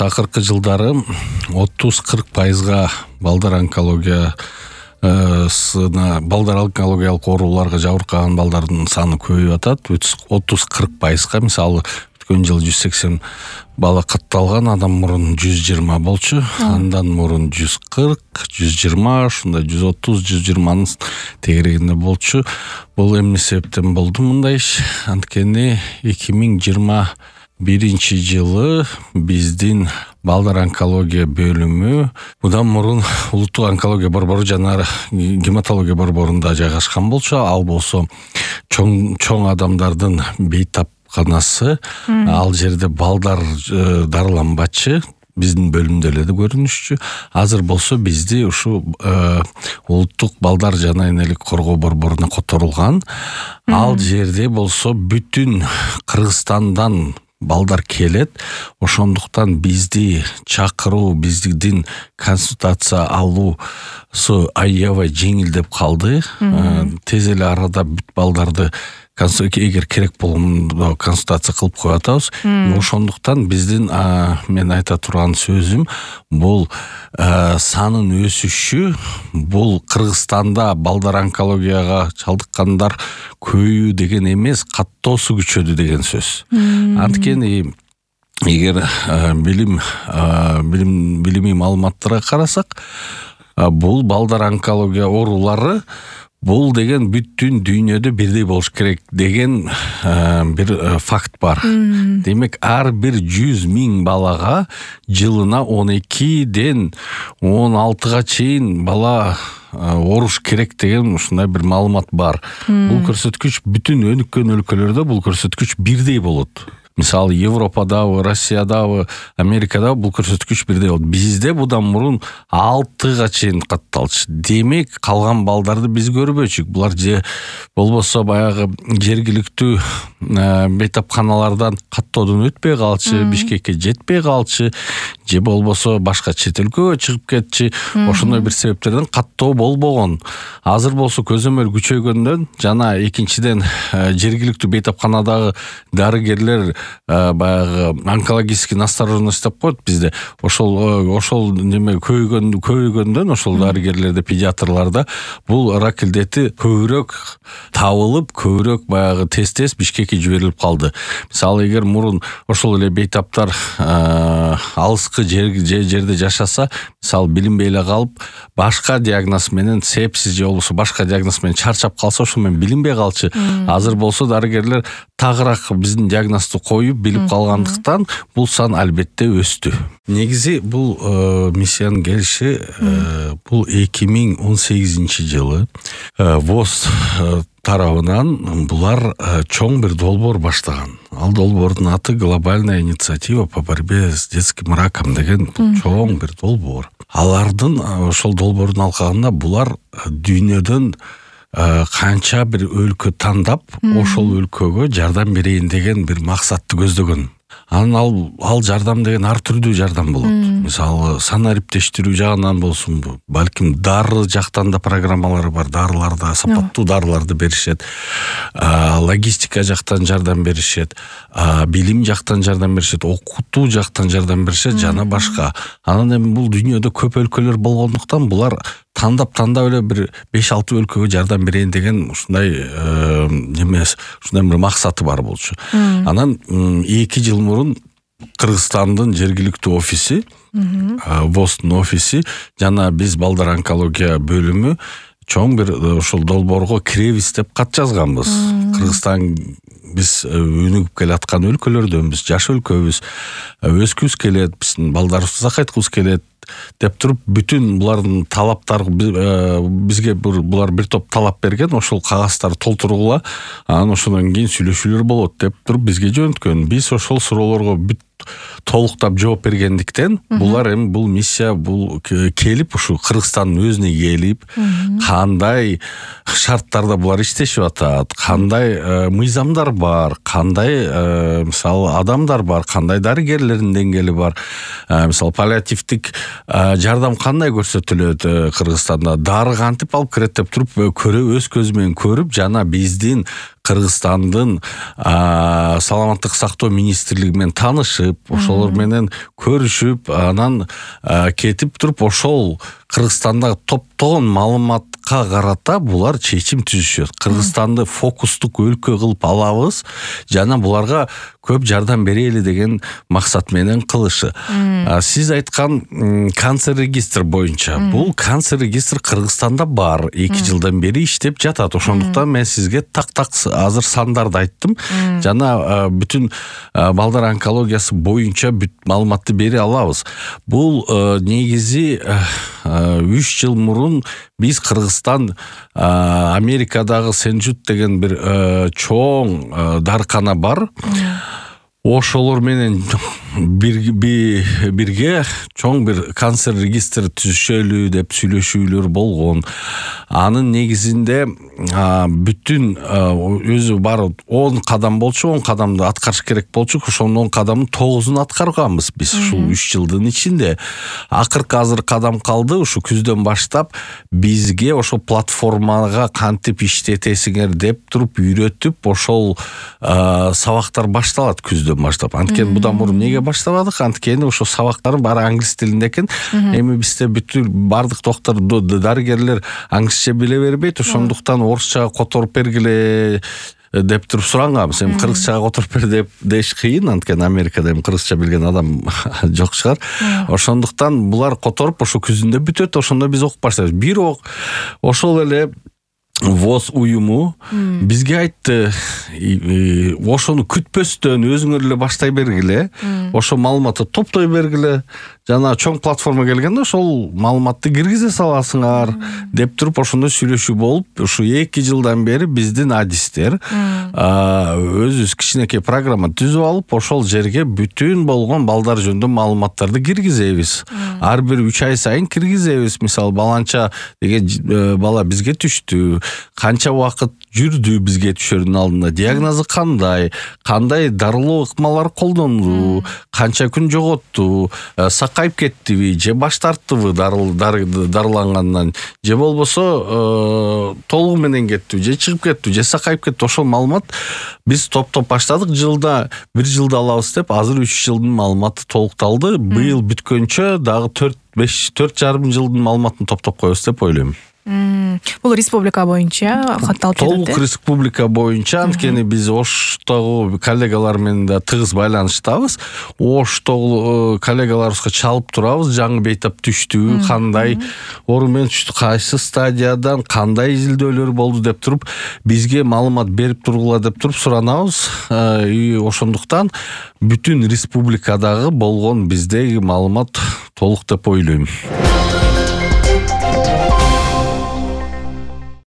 акыркы жылдары 30-40% балдар онкологиялык ооруларга жабыркаган балдардын саны көбөйүп атат. 30-40%. Мисалы өткөн жыл 180 бала катталган, адам мурун 120 болчу, андан мурун 140, 120, ушундай 130, 120-нын тегерегинде болчу. Бул эмне себептен болду мындай иш? Анткени 2021 жылы биздин балдар онкология бөлүмү мындан мурун улуттук онкология борбору жана гематология борборунда жайгашкан болчу. Ал болсо чоң адамдардын бейтапканасы. Ал жерде балдар дарыланбачы. Биздин бөлүмдө эле көрүнүшчү. Азыр болсо бизди ушу улуттук балдар жана энелик коргоо борборуна которулган. Ал жерде болсо бүтүн Кыргызстандан балдар келет. Ошондуктан бизди чакыруу, биздин консультация алуусу аябай жеңилдеп калды. Тез эле арада бүт балдарды эгер керек болгондо консультация кылып коюп атабыз. Ошондуктан биздин мен айта турган сөзүм бул санын өсүшү, бул Кыргызстанда балдар онкологияга чалдыккандар көбөйүү деген эмес, каттоосу күчөдү деген сөз. Анткени эгер билимий маалыматтарга карасак, бул балдар онкология оорулары бул деген бүтүн дүйнөдө бирдей болуш керек деген бир факт бар. Демек, ар бир 100.000 балага жылына 12ден 16га чейин бала ооруш керек деген ушундай бир маалымат бар. Бул көрсөткүч бүтүн өнүккөн өлкөлөрдө бул көрсөткүч бирдей болот. Мисалы Европадабы, Россиядабы, Америкадабы бул көрсөткүч бирдей болот. Бизде будан мурун 6га чейин катталчу. Демек, калган балдарды биз көрбөчүк. Булар же болбосо баягы жергиликтүү бейтапканалардан каттоодон өтпөй калчу, Бишкекке жетпей калчу, же болбосо башка чет өлкөгө чыгып кетчи. Ошондой бир себептерден каттоо болбогон. Азыр болсо көзөмөл күчөйгөндөн жана экинчиден жергиликтүү бейтапканадагы дарыгерлер баягы онкологический настороженность деп коет бизде. Ошол неме көбөйгөндөн ошол дарыгерлерде, педиатрларда бул рак илдети көбүрөөк табылып, көбүрөөк баягы тез Бишкекке жиберилип калды. Мисалы, эгер мурун ошол эле бейтаптар алыскы жерде жашаса, мисалы билинбей эле калып, башка диагноз менен, сепсис же болбосо башка диагноз менен чарчап калса, ошо менен билинбей калчу. Азыр болсо дарыгерлер тагыраак биздин диагнозду коюп билип калгандыктан бул сан албетте өстү. Негизи бул миссиянын келиши бул 2018 жылы ВОЗ тарабынан булар чоң бир долбоор баштаган. Ал долбоордун аты «Глобальная инициатива по борьбе с детским раком» деген чоң бир долбоор. Алардын ошол долбоордун алкагында булар дүйнөдөн канча бир өлкө тандап, ошол өлкөгө жардам берейин деген бир максатты көздөгөн. Анан ал жардам деген ар түрдүү жардам болот. Мисалы, санариптештирүү жагынан болсун, балким дары жактан да программалары бар, дарыларда сапаттуу дарыларды беришет. Логистика жактан жардам беришет, билим жактан жардам беришет, окутуу жактан жардам беришет жана башка. Анан эми бул дүйнөдө көп өлкөлөр болгондуктан булар тандап эле бир 5-6 өлкөгө жардам берейин деген ушундай ушундай бир максаты бар болчу. Анан 2 жыл мурун Кыргызстандын жергиликтүү офиси, ВОЗдун офиси жана биз балдар онкология бөлүмү чоң бир ошол долбоорго киребиз деп кат жазганбыз. Кыргызстан биз өнүгүп келаткан өлкөлөрдөнбүз, жаш өлкөбүз, өскүбүз келет, биздин балдарыбызды сакайткыбыз келет деп туруп, бүтүн булардын талаптары бизге булар бир топ талап берген, ошол кагаздарды толтургула, анан ошондон кийин сүйлөшүүлөр болот деп туруп бизге жөнөткөн. Биз ошол суроолорго толуктап жооп бергендиктен булар эми бул миссия келип ушу Кыргызстандын өзүнө келип, кандай шарттарда булар иштешип атат, кандай мыйзамдар бар, кандай мисалы адамдар бар, кандай дарыгерлердин деңгээли бар, мисалы паллиативдик жардам кандай көрсөтүлөт Кыргызстанда, дары кантип алып кирет деп туруп өз көзү менен көрүп, жана биздин Кыргызстандын саламаттык сактоо министрлиги менен таанышып, ошолор менен көрүшүп, анан кетип туруп ошол Кыргызстандагы топтогон маалыматка карата булар чечим түзүшөт. Кыргызстанды фокустук өлкө кылып алабыз жана буларга көп жардам берели деген максат менен кылышы. Сиз айткан канцер регистр боюнча, бул канцер регистр Кыргызстанда бар, 2 жылдан бери иштеп жатат. Ошондуктан мен сизге так азыр сандарды айттым жана бүтүн балдар онкологиясы боюнча бүт маалыматты бере алабыз. Бул негизи 3 жыл мурун биз Кыргызстан Америкадагы Сен-Жут деген бир чоң дарыкана бар. Ошолор менен бирге чоң бир канцер регистр түзүшөлү деп сүйлөшүүлөр болгон. Анын негизинде бүтүн өзү бар 10 кадам болчу, 10 кадамды аткарыш керек болчу. Ошонун 10 кадамын 9-ун аткарганбыз биз ушул 3 жылдын ичинде. Акыркы азыр кадам калды. Ушу күздөн баштап бизге ошол платформага кантип иштетесиңер деп туруп үйрөтүп, ошол сабактар башталат күздөн баштап. Анткени будан мурун эмнеге баштабадык? Анткени ошо сабактар баары англис тилинде экен. Эми бизде бүтүн бардык доктор, дарыгерлер англисче биле бербейт. Ошондуктан орусчага которуп бергиле деп туруп суранганбыз. Эми кыргызчага которуп бер деп деш кыйын, анткени Америкада эми кыргызча билген адам жок чыгар. Ошондуктан булар которуп ошо күзүндө бүтөт. Ошондо биз окуп баштайбыз. Бирок ошол эле ВОЗ уюму бизге айтты, ошону күтпөстөн өзүңөр эле баштай бергиле, ошо маалыматты топтой бергиле, жана чоң платформа келгенде ошол маалыматты киргизе саласыңар деп туруп ошондой сүйлөшүү болуп, ушу 2 жылдан бери биздин адистер өзүбүз кичинекей программа түзүп алып, ошол жерге бүтүн болгон балдар жөнүндө маалыматтарды киргизебиз. Ар бир 3 ай сайын киргизебиз. Мисалы, баланча деген бала бизге түштү, канча убакыт жүрдү бизге түшөрдүн алдында, диагнозу кандай дарылоо ыкмалар колдонду, канча күн жоготту, сакайып кеттиби, же баш тарттыбы дарылангандан, же болбосо толугу менен кеттиби, же чыгып кеттиби, же сакайып кеттиби. Ошол маалымат биз топтоп баштадык. Жылда 1 жылда алабыз деп, азыр 3 жылдын маалыматы толукталды. Быйыл бүткөнчө дагы 4,5 жылдын маалыматын топтоп коебуз деп ойлойм. Бул республика боюнча катталып жатат. Толук республика боюнча, анткени биз Оштогу коллегалар менен да тыгыз байланыштабыз. Оштогу коллегаларыбызга чалып турабыз, жаңы бейтап түштү, кандай орун менен түштү, кайсы стадиядан, кандай изилдөөлөр болду деп туруп бизге маалымат берип тургула деп туруп суранабыз. Ошондуктан бүтүн республикадагы болгон биздеги маалымат толук деп ойлойм.